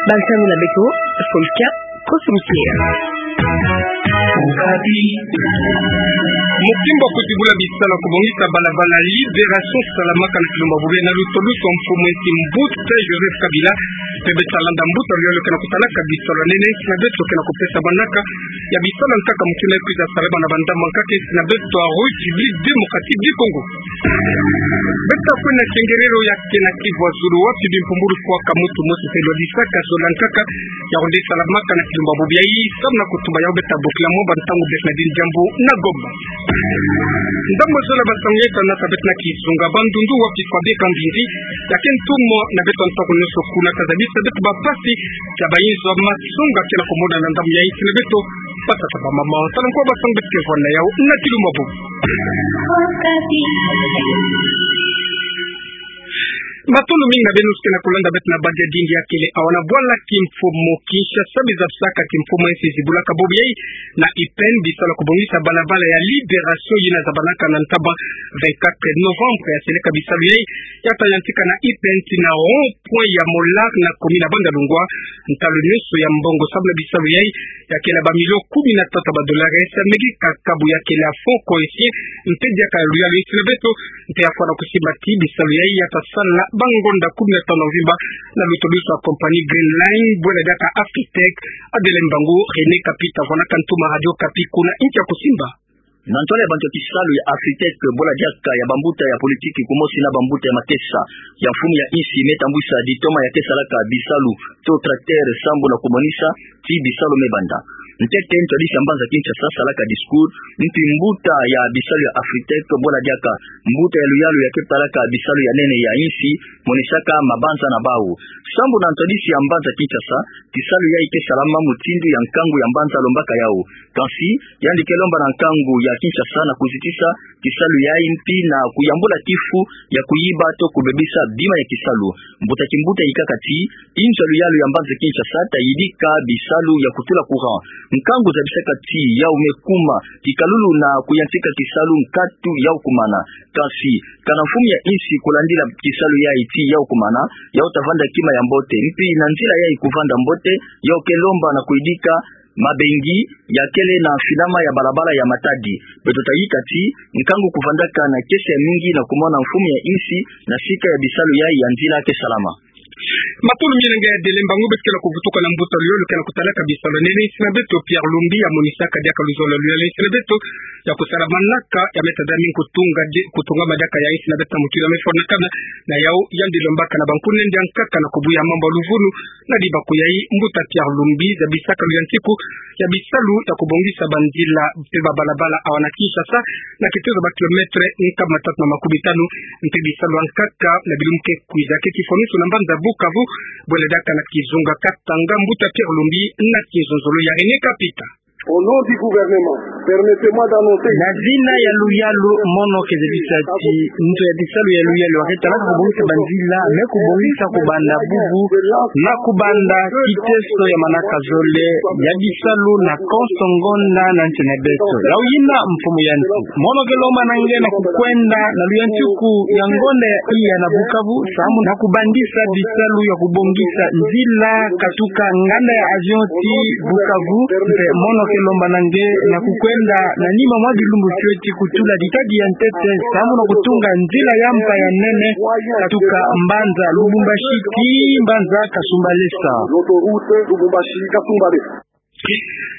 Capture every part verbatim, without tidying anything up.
Bansangu na beto, Folka Kosomikia. Mukimba kuzibula bisalu ya kubongisa balabala Libération salamaka na kilumbu ya bubu na lutulusu ya mfumu a insi mbuta Joseph Kabila, mpe beto ta landa mbuta luyalu ke na kutalaka bisalu ya nene a insi na beto ke na kupesa manaka ya bisalu ya nkaka mukina kwiza salama na bandambu ya nkaka a insi na beto ya République Démocratique du Congo. Beto ta kwenda na kiengerero ya ke na Kivu ya Zulu, wapi bimpumbulu fwaka mutu mosi mpe lwadisaka zola ya nkaka ya rudi salamaka na kilumbu ya bubu yayi, samu na kutumba yawu beto ta bokila mwa ba ntangu beto na dini diambu na Goma. Ndambu zola basangu yeto na ta beto na kizunga Bandundu, wapi Fabien Kambindi, ya ke ntumwa na beto ntangu nyonso kuna, ta zabisa beto ba mpasi ya bayinzo ya masonga ke na kumona na ndambu ya insi na beto. Batata, bamama, tala nkwa basangu beto ke vwanda yawu na kilumbu ya bubu. Matondo mingi na beno ke na kulanda beto na badi ya dindi ya kele awa na bwala kimfumu Kinshasa. Biza bisaka kimfumu a insi zibulaka bubu yayi na I P N bisalu ya kubongisa balabala ya Libération yina zabanaka na ntaba vingt-quatre novembre. Ya seleka bisalu yayi ya ta yantika na I P N tii na rond-point ya Molar na commune ya Bandalungwa. Ntalu nyonso ya mbongo samu na bisalu yayi ya kele ba millions kumi na tatu ya ba dollars, ya meki kakabu ya kele fonds cohésien, mpe diaka luyalu ya insi na beto, mpe ya fwana kusimba tii bisalu yayi ya ta sala bangonda kumi na tanu ya mvimba na lutulusu ya compagnie Green Line, bwela diaka Afritech. Adele Mbangu, René Kapita, vwanaka ntoma Radio Okapi kuna insi ya kusimba. Na ntwala ya bantu ya kisalu ya Afritech, bwela diaka ya bambuta ya politiki kumosi na bambuta ya matesa ya mfumu ya insi, me tambwisa ditoma ya ke salaka bisalu to tracteur sambu na kumonisa tii bisalu me banda. Ntete ntwadisi ya mbanza Kinshasa salaka discours, mpi mbuta ya bisalu ya Afritech, bwela diaka mbuta ya luyalu ya ke talaka bisalu ya nene ya insi, monisaka mabanza na bawu. Sambu na ntwadisi ya mbanza Kinshasa, kisalu yayi ke salama mutindu ya nkangu ya mbanza alombaka yawu. Kansi, yandi ke lomba na nkangu ya Kinshasa na kuzitisa kisalu yayi mpi na kuyambula kifu ya kuyiba to kubebisa bima ya kisalu. Mbuta kimbuta yikaka tii, inzo ya luyalu ya mbanza Kinshasa ta yidika bisalu ya kutula courant. Nkangu zabisaka tii yawu me kuma kikalulu na kuyantika kisalu nkatu yawu kumana. Kansi, kana mfumu ya insi kulandila kisalu yayi tii yawu kumana, yawu ta vanda kima ya mbote. Mpi na nzila yayi kuvanda mbote, yawu ke lomba na kuyidika mabengi ya kele na mfinama ya balabala ya Matadi. Beto ta yika tii, nkangu kuvandaka na kiese ya mingi na kumona mfumu ya insi na sika ya bisalu yayi ya nzila ke salama. Matondo mingi na nge Adele Mbangu. Beto ke na kuvutuka na mbuta luyalu ke na kutalaka bisalu ya nene a insi na beto, Pierre Lumbi, ya monisaka diaka luzolo ya luyalu ya insi na beto ya kusala manaka ya me ta dami kutunga di-, kutungama diaka ya insi na beto na mutu ya me fwanakana na yawu. Yandi lombaka na bankunende ya nkaka na kubuya mambu ya luvunu na dibaku yayi. Mbuta Pierre Lumbi, zabisaka luyantiku ya bisalu ya kubongisa banzila mpe ba balabala awa na Kinshasa, na kitezo ba kilomètre nkama tatu na makumi tanu, mpe bisalu ya nkaka na bilumbu ke kwiza ke kifwanusu na mbanza Bukavu, bwela diaka na kizunga Katanga. Mbuta Pierre Lumbi na kizunzolo ya René Kapita. Au nom du gouvernement, permettez-moi d'annoncer... Na zina ya luyalu, mono ke zabisa tii nto ya bisalu ya luyalu ya ke talaka kubongisa banzila me kubongisa kubanda bubu na kubanda kiteso ya manaka zole ya bisalu na konso ngonda na nsi na beto. Yawu yina mfumu ya nsi. Mono ke lomba na nge na kukwenda na luyantiku ya ngonda ya iya na Bukavu, samu na kubandisa bisalu ya kubongisa nzila katuka nganda ya avion tii Bukavu. Mpe mono ke lomba na nge na kukwenda na nima mwa bilumbu fioti kutula ditadi ya ntete, samu na kutunga nzila ya mpa ya nene katuka mbanza Lubumbashi tii mbanza Kasumbalesa. L'autoroute Lubumbashi-Kasumbalesa.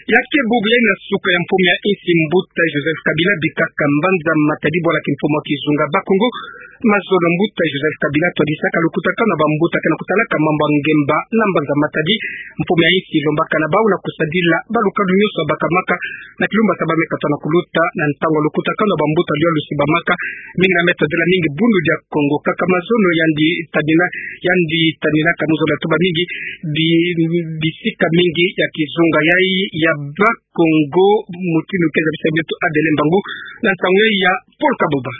Ya ke bubu yayi na suka ya mfumu ya insi mbuta Joseph Kabila bikaka mbanza Matadi, bwala kimfumu ya kizunga Bakongo. Mazono mbuta Joseph Kabila twadisaka lukutakanu ya bambuta ke na kutalaka mambu ya ngemba na mbanza Matadi. Mfumu ya insi lombaka na bawu na kusadila balukanu nyonso ya bakamaka na kilumbu ya saba me kata na kuluta. Na ntangu ya lukutakanu ya bambuta luyalu sibamaka, mingi na me tadila mingi Bundu dia Kongo. Kaka mazono yandi tanina, yandi taninaka mu zola tuba mingi bi-, bisika mingi ya kizunga yayi ya Bakongo, mutindu ke zabisa beto Adele Mbangu na nsangu ya Paul Kaboba.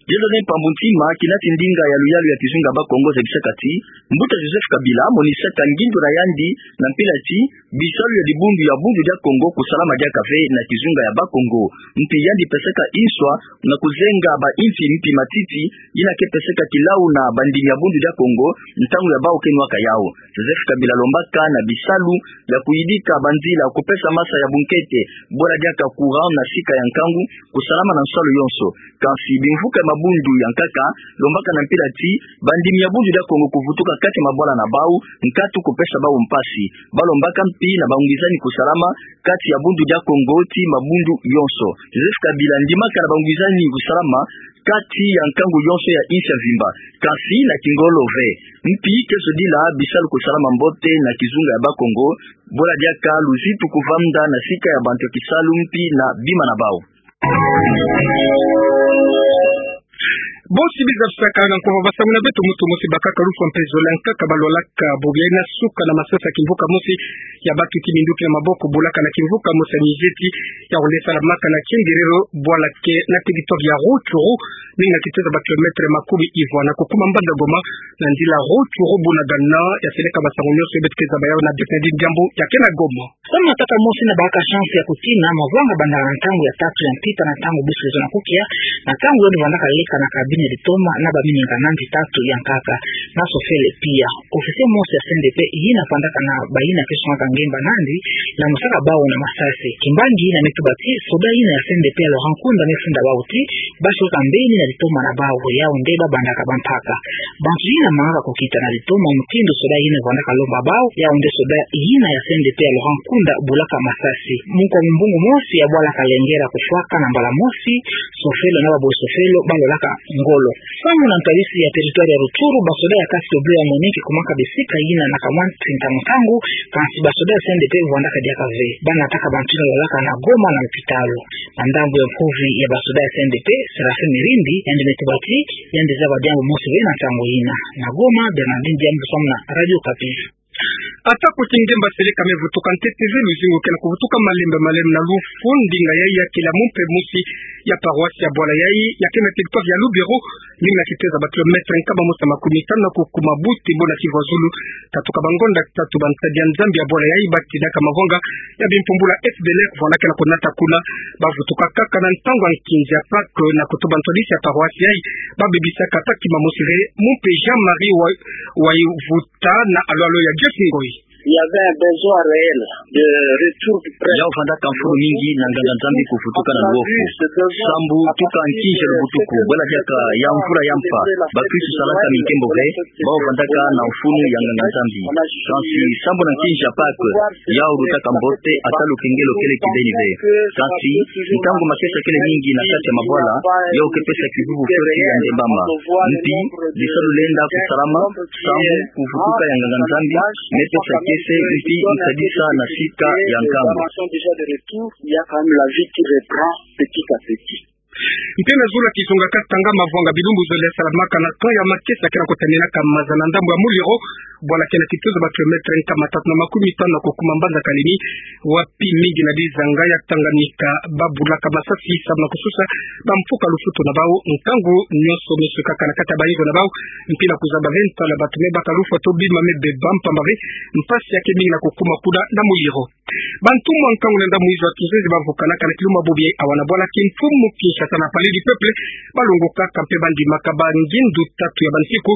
Diezazayi mpambu ntima, kinati ndinga ya luyalu ya kizunga ya Bakongo zabisaka ti, Mbuta Joseph Kabila monisaka ngindu na yandi na mpila ti bisalu ya dibundu ya Bundu dia Kongo kusalama diaka ve na kizunga ya Bakongo. Mpi yandi pesaka inswa na kuzenga bainsi mpi matiti yina ke pesaka kilau na bandimi ya Bundu dia Kongo ntangu ya bau ke nwaka yau. Joseph Kabila alombaka na bisalu ya kuyidika banzila, kupesa masa ya bunkete, bwala diaka courant na sika ya nkangu, kusalama na nsalu yonso. Kansi bimvuka ya mabundu ya nkaka alombaka na mpila ti bandimi ya Bundu dia Kongo kuvutuka kati ya mabwala na bau, nkatu kupesa bau mpasi. Balombaka mpi na bangwizani kusalama kati ya Bundu dia Kongo ti mabundu yonso. Joseph Kabila andimaka na bangwizani kusalama kati ya nkangu yonso ya insi ya mvimba, kansi na kingolo ve. Mpi ke zodila bisalu kusalama mbote na kizunga ya Bakongo, bwala diaka luzitu kuvanda na sika ya bantu ya kisalu mpi na bima na bau. Bosi biza bisaka na nkuva basangu na beto, muntu mosi bakaka lufwa mpe zola ya nkaka balwalaka bobi ya ina suka na masasi ya kimvuka mosi ya batuki minduki na maboko, bulaka na kimvuka mosi ya mizeti, ya wole salamaka na Kingiriro, bwala ke na territoire ya Rutshuru, mingi na kitezo ba kilomètre makumi ivwa na kukuma mbanza Goma, na nzila Rutshuru Bunagana, ya seleka basangu nyonso beto ke zaba yau na Bernardine Diambu, ya ke na Goma. Samu na tata mosi na baka chance ya kutina mavwanga banda na ntangu ya tatu ya mpita na ntangu bus lezo na kukia, na ntangu yandi vandaka leka na cabine ya litoma na bamininga nandi tatu ya nkaka, na sofele pia. Officier mosi ya C N D P yina vandaka na bayina ke sungaka ngemba nandi, na musaka bau na masasi. Kimbangi yina me tuba ti, soda yina ya C N D P ya Laurent Nkunda me funda bau ti, basi weka mbeni na litoma na bau, yau nde babandaka bampaka. Bantu yina mangaka kukita na litoma mutindu soda yina vandaka lomba bau, yau nde soda yina ya C N D P ya Laurent Nkunda bulaka masasi. Munkwa mumbungu mosi ya bwala Kalengera kufwaka na mbala mosi, sofelo na baboyi sofelo balwalaka ngolo. Samu na ntadisi ya territoire ya Rutshuru, basoda ya casque bleu ya MONUC kumaka bisika yina na kamwa ntinta nkangu, kansi basoda ya C N D P vandaka diaka ve. Banataka bantu yina lwalaka na Goma na lopitalo. Na ndambu ya mpuvi ya basoda ya C N D P, Séraphin Mirindi, yandi me tuba ti, yandi zaba diambu mosi ve na ntangu yina. Na Goma, Bernardine Diambu samu na Radio Okapi. Atako ti ngemba seleka me vutuka ntete ve, luzingu ke na kuvutuka malembe malembe na lufu, ndinga yayi ya kila mumpe mosi ya paroisse ya bwala yayi, ya ke na territoire ya Lubero, mingi na kitezo ba kilomètre nkama mosi na makumi tanu na kukuma buti bo na kivu ya zulu. Katuka bangonda tatu bansadi ya Nzambi ya bwala yayi batinaka mavwanga ya bimpumbulu ya F D L R vandaka na kunata kuna, bavutuka kaka na ntangu ya nkinzi ya Pâques na kutuba ntwadisi ya paroisse yayi, babebisaka ata kima mosi ve, mumpe Jean-Marie wa, wa Tana alwalo ya Joyce Ngoyi. Il y avait un besoin réel de retour du prêtre. Yau vandaka mfunu mingi na nganga-Nzambi kuvutuka na luofu. Sambu tuka nkinzi ya lubutuku, bwala diaka ya mvula ya mpa, bakristu salaka minkembo ve, bau vandaka na mfunu ya nganga-Nzambi. Kansi sambu na nkinzi ya Pâques, yau lutaka mbote, ata lukengelo kele kibeni ve. Kansi, ntangu makesa kele mingi na kati ya mabwala, yau ke pesa kivuvu fioti ya ndembama. Mpi, bisalu lenda kusalama, sambu kuvutuka ya nganga-Nzambi, me pesa kiese, mpi, nsadisa na sika ya nkangu. Il y a quand même la vie qui reprend petit à petit. Mpe na zulu ya kizunga Katanga, mavwanga bilumbu zole salamaka na camp ya makesa ke na kutaninaka maza na ndambu ya Muliro, bwala ke na kitezo ba kilomètre nkama tatu na makumi tanu na kukuma mbanza Kalemi, wapi mingi na bizanga ya Tanganyika babulaka masasi samu na kususa bamfuka lufutu na bau, nkangu nyonso me sukaka na kati ya bayinzo na bau, mpi na kuzaba ve ntwala bantu me baka lufwa to bima me beba, mpamba ve mpasi ya ke mingi na kukuma kuna na Muliro. Bantu mwa nkangu na ndambu izo ya kinzenze bavukanaka na kilumbu ya bobi awa na bwala Kimpumu Kinshasa na Palais du Peuple, balongokaka mpe bandimaka bangindu tatu ya bansiku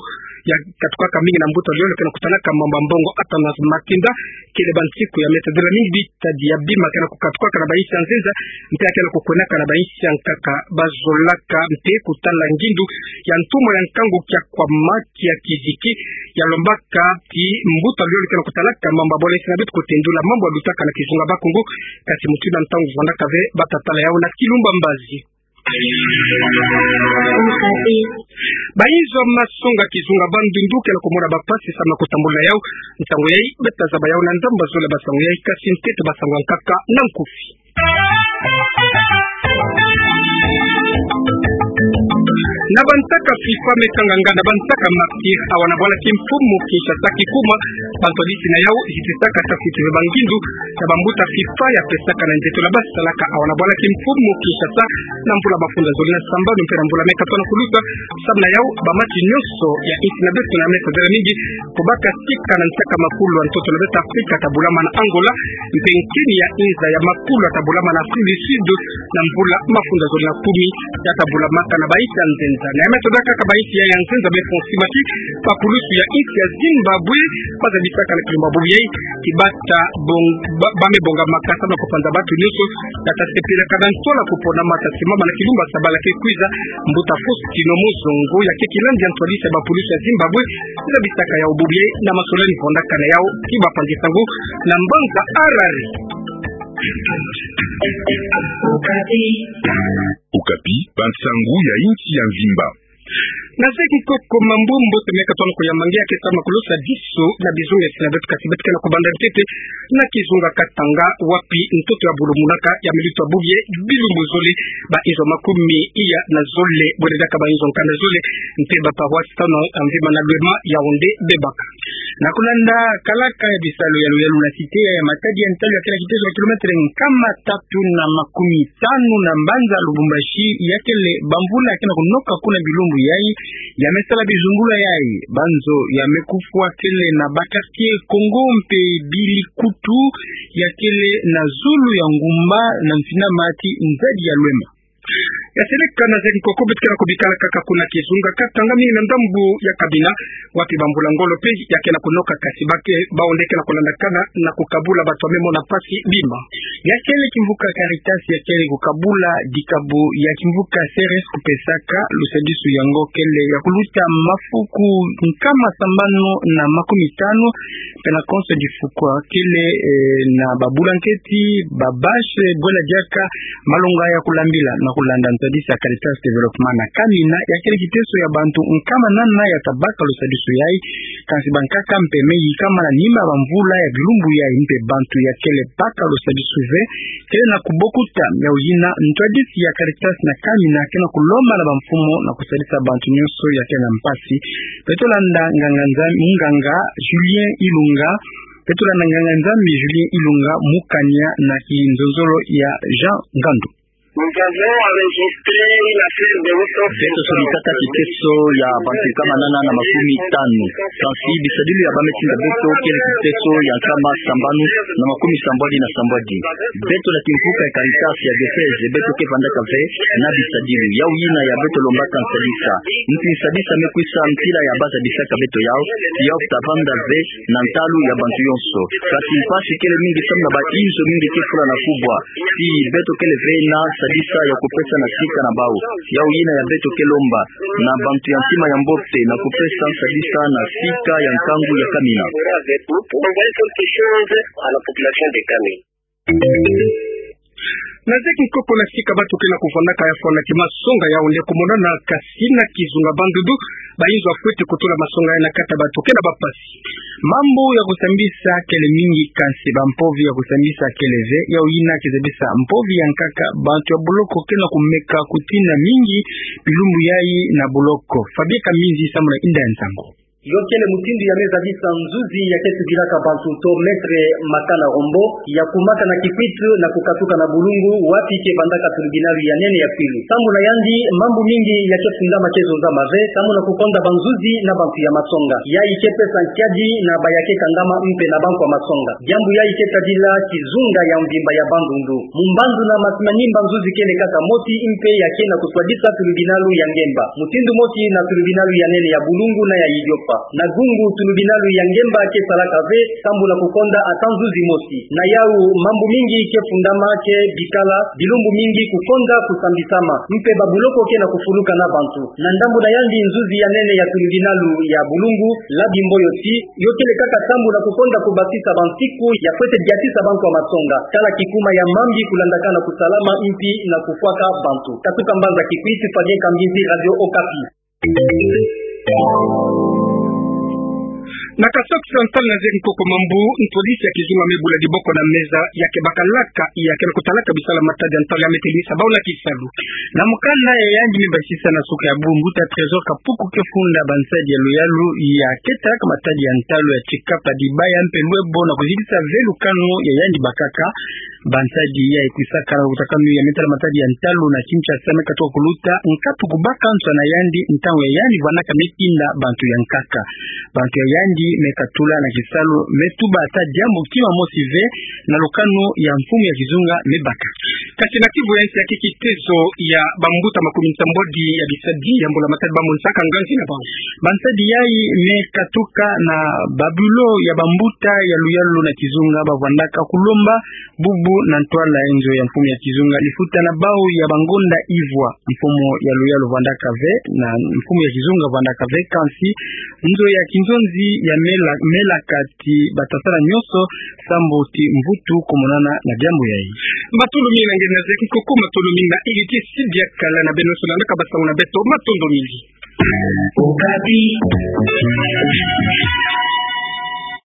ya katukaka mingi na mbuta yole ke na kutalaka mambu ya mbongo, Athanase Matinda, kele bansiku ya me tadila mingi bitadi ya bima ke na kukatukaka na bainsi ya nzenza, mpe ya ke na kukwenaka na bainsi ya nkaka. Bazolaka mpe kutala ngindu ya ntumwa ya nkangu Kiakwama Kiakiziki, ya lombaka ti mbuta yole ke na kutalaka mambu ya bole sina beto kutendula mambu ya lutaka na kizunga Bakongo, kati mutu na ntangu vandaka ve, bata tala yau na kilumbu ya mbazi. Okapi. Bayinzo ya masonga kizunga Bandundu ke na kumona bampasi samu na kutambula yau. Nsangu yayi, beta zaba yau na ndambu zole basangu yayi, kasi ntete basangu ya nkaka na nkufi. Na bantaka FIFA meka nganga na bantaka martyrs awa na bwala ki mfumu Kinshasa kikuma, bantu ya bisi na yau zitisaka tafiti ve ba ngindu ya bambuta FIFA ya pesaka na nzeto la basalaka awa na bwala ki mfumu Kinshasa, na mvula mafunda zole na sambanu mpe na mvula meka tona kuluta, samu na yau ba match nyonso ya insi na beto na mesa zala mingi kubaka sika na nsaka makulu ya ntoto na beto Afrika, tabulama na Angola, mpe nkini ya inza ya makulu tabulama na Afrique du Sud, na mvula mafunda zole na kumi, ya tabulama kana ba insi ya nzenza. Na ya me tobaka kaka ba insi ya, ya nzenza me fonsi mati, ba pulusu ya insi ya Zimbabwe, baza bisaka na kilumbu bubu yai, ki bata bong-, ba, ba me bonga makasa na kupanza bantu nyonso, tata sepila kana ntola kupona mata simama na kilumbu sabala ke kwiza, mbuta Faustino Muzungu, ya ke kilandi ya ntwadisi ya ba pulusu ya Zimbabwe, za bisaka ya bubu yai, na masolani fonda kana yau, ki ba panzi sangu, na mbanza Harare. Okapi, bansangu ya insi ya mvimba. Na zeki nkoko mambu mbote meka tona kuyamangia ke sama kulosa diso na bizunga ya sina beto, kasi beto ke na kubanda ntete na kizunga Katanga, wapi ntoto ya bulumunaka ya milutu ya bubu yai bilumbu zole, ba inzo makumi iya na zole, bwele diaka ba inzo nkanda zole, mpe ba paroisse tano ya mvimba na Lwema, Yaoundé, Bebaka. Na kulanda kalaka ya bisalu ya luyalu na cité ya Matadi, ya ntalu ya kele kitezo ya kilometre nkama tatu na makumi tanu na mbanza Lubumbashi, ya kele bamvula ya ke na kunoka kuna bilumbu yai, ya me sala bizungula yai, banzo ya me kufwa kele na ba quartier Kongo mpe Bilikutu, ya kele na zulu ya ngumba na mfinama ti nzadi ya Lwema. Ya seleka na zeki nkoko, beto ke na kubikala kaka kuna kizunga Katanga, mingi na ndambu ya Kamina, wapi bamvula ngolo mpe ya ke na kunoka, kasi ba ke, bawu nde ke na kulandakana na kukabula bantu ya me mona mpasi bima. Ya kele kimvuka Caritas ya kele kukabula dikabu ya kimvuka C R S kupesaka lusadisu yango kele ya kuluta mafuku nkama sambanu na makumi tanu, mpe na konso difuku ya kele, eh, na ba blanketi, ba bâche, bwele diaka malonga ya kulambila, na kulanda ntwadisi ya Caritas Développement na Kamina, ya kele kiteso ya bantu nkama nana ya tabaka lusadisu yai, kansi bankaka mpe me yikama na nima bamvula ya bilumbu yai, mpe bantu ya kele baka lusadisu ve, kele na kubokuta. Yawu yina ntwadisi ya Caritas na Kamina ke na kulomba na bamfumu na kusadisa bantu nyonso ya ke na mpasi. Beto landa nganga Nzambi, munganga Julien Ilunga. Beto landa nganga Nzambi Julien Ilunga mu kania na kinzonzolo ya Jean Ngandu. Beto solikaka kiteso ya bantu nkama nana na makumi tanu. Kansi bisadilu ya ba me tinda beto kele kiteso ya nkama sambanu na makumi sambwadi na sambwadi. Beto na kimvuka ya Caritas ya diocèse, beto ke vandaka ve na bisadilu. Yawu yina ya beto lombaka nsadisa. Nti nsadisa me kwisa ntila ya baza bisaka beto yawu, yawu ta vanda ve na ntalu ya bantu yonso. Kansi mpasi kele mingi samu na ba inzo mingi ke fula na kubwa. Ti beto kele ve na nsadisa ya kupesa na sika na bawu. Yawu yina ya beto ke lomba na bantu ya ntima ya mbote na kupesa nsadisa na sika ya nkangu ya Kamina. Na zeki nkoko, na sika bantu ke na kuvandaka ya fwana ki masonga, yawu nde kumonana kasi na kizunga Bandundu, ba inzo ya fweti kutula masonga ya na kati ya bantu ke na ba mpasi. Mambu ya kusambisa kele mingi, kansi bampovi ya kusambisa kele ve. Yawu yina kizabisa mpovi ya nkaka, bantu ya boloko ke na kumeka kutina mingi bilumbu yai na boloko. Fabien Kaminzi samu na inda ya nsangu. Yo kele mutindu ya me zabisa nzuzi ya ke tubilaka bantu to mettre makana rombo, ya kumaka na Kikwit na kukatuka na Bulungu, wapi ke vandaka tribunal ya nene ya Kwilu. Sambu na yandi, mambu mingi ya ke fundama ke zonzama ve, samu na kukonda banzuzi na bantu ya masonga. Yayi ke pesa nkiadi na ba ya ke kangama mpe na bantu ya masonga. Diambu yayi ke tadila kizunga ya mvimba ya Bandundu. Mu mbandu na Masimanimba nzuzi kele kaka mosi mpe ya ke na kuswadisa tribunal ya ngemba. Mutindu mosi na tribunal ya nene ya Bulungu na ya Idiofa. Na Gungu tribunal ya ngemba ke salaka ve, sambu na kukonda ata nzuzi mosi. Na yawu, mambu mingi ke fundama ke bikala, bilumbu mingi kukonda kusambisama. Mpe ba buloko ke na kufuluka na bantu. Na ndambu na yandi, nzuzi ya nene ya tribunal ya Bulungu, Labi Mboyoti, yo kele kaka sambu na kukonda kubasisa bansiku ya fwete diatisa bantu ya masonga. Tala kikuma ya mambi kulandaka na kusalama mpi na kufwaka bantu. Katuka mbanza Kikwit, Fabien Kaminzi, Radio Okapi. Na Kasaï Occidental, na zeki nkoko mambu, ntwadisi ya kizunga me bula diboko na meza, ya ke bakalaka, ya ke na kutalaka bisala matadi ya ntalu ya me telinisa bau na kisalu. Na mukanda ya yandi me basisa na suka ya bu, mbuta Trésor Kapuku ke funda bansadi ya luyalu ya ke talaka matadi ya ntalu ya Tshikapa Dibaya mpe Luebo na kuzikisa ve lukanu ya yandi bakaka. Bansadi ya ikwisaka na lukutakanu ya me tala matadi ya ntalu na Kinshasa me katuka kuluta nkatu ku baka nswa na yandi ntangu ya yandi vwandaka me tinda bantu ya nkaka. Bantu ya yandi me katula na kisalu, me tuba ata diambu kima mosi ve na lukanu ya mfumu ya kizunga me baka. Kasi na Kivu ya nsi, ya ke kitezo ya bambuta makumi nsambwadi ya bisadi ya mbula matadi bamonisaka nganzi na bau. Bansadi yayi me katuka na babulo ya bambuta ya luyalu na kizunga bavwandaka kulomba bubu na ntwala nzo ya mfumu ya kizunga lifuta na bau ya bangonda ivwa. Mfumu ya luyalu vwandaka ve, na mfumu ya kizunga vwandaka ve, kansi nzo ya kinzonzi ya mela, melaka ti batasala nyonso sambu ti mvutu kumonana na diambu yayi. Matondo mingi na nge na zeki nkoko, matondo mingi na Héritier Sidiakala na beno sola ndaka basangu na beto, matondo mingi. Okapi.